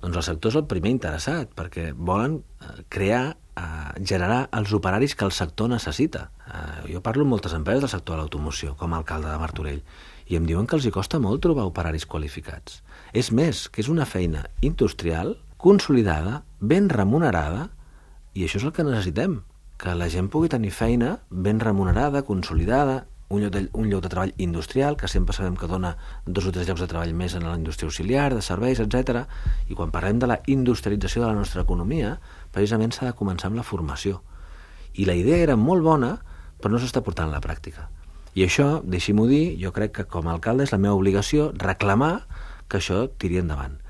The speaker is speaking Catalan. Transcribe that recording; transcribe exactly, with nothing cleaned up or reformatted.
Doncs el sector és el primer interessat, perquè volen crear, eh, generar els operaris que el sector necessita. Eh, jo parlo amb moltes empreses del sector de l'automoció, com a alcalde de Martorell, i em diuen que els hi costa molt trobar operaris qualificats. És més, que és una feina industrial, consolidada, ben remunerada, i això és el que necessitem, que la gent pugui tenir feina ben remunerada, consolidada, un lloc, de, un lloc de treball industrial, que sempre sabem que dona dos o tres llocs de treball més en la indústria auxiliar, de serveis, etcètera. I quan parlem de la industrialització de la nostra economia, precisament s'ha de començar amb la formació. I la idea era molt bona, però no s'està portant a la pràctica. I això, deixi-m'ho dir, jo crec que com a alcalde és la meva obligació reclamar que això tiri endavant.